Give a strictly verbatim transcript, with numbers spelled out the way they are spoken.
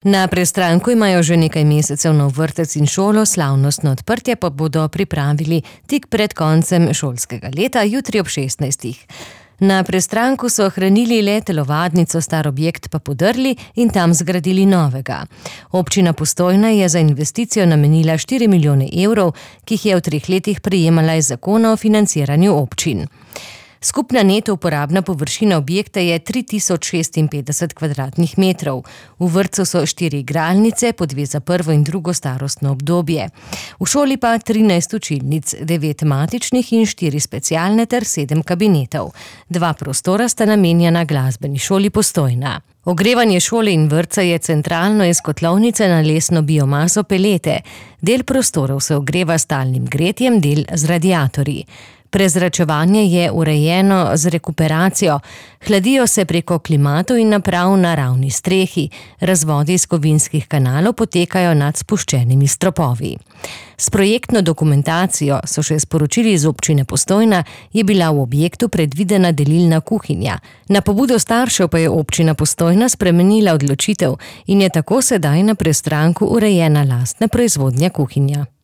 Na Prestranku imajo že nekaj mesecev nov vrtec in šolo, slavnostno odprtje pa bodo pripravili tik pred koncem šolskega leta, jutri ob šestnajstih. Na Prestranku so ohranili le telovadnico, star objekt pa podrli in tam zgradili novega. Občina Postojna je za investicijo namenila štiri milijone evrov, ki jih je v treh letih prejemala iz zakona o financiranju občin. Skupna neto uporabna površina objekta je tri tisoč šestinpetdeset kvadratnih metrov. V vrtcu so štiri igralnice, po dve za prvo in drugo starostno obdobje. V šoli pa trinajst učilnic, devet matičnih in štiri specialne ter sedem kabinetov. Dva prostora sta namenjena glasbeni šoli Postojna. Ogrevanje šole in vrtca je centralno iz kotlovnice na lesno biomaso pelete. Del prostorov se ogreva s talnim gretjem, del z radiatorji. Prezračevanje je urejeno z rekuperacijo, hladijo se preko klimatov in naprav na ravni strehi, razvodi iz kovinskih kanalov potekajo nad spuščenimi stropovi. S projektno dokumentacijo, so še sporočili iz občine Postojna, je bila v objektu predvidena delilna kuhinja. Na pobudo staršev pa je občina Postojna spremenila odločitev in je tako sedaj na Prestranku urejena lastna proizvodnja kuhinja.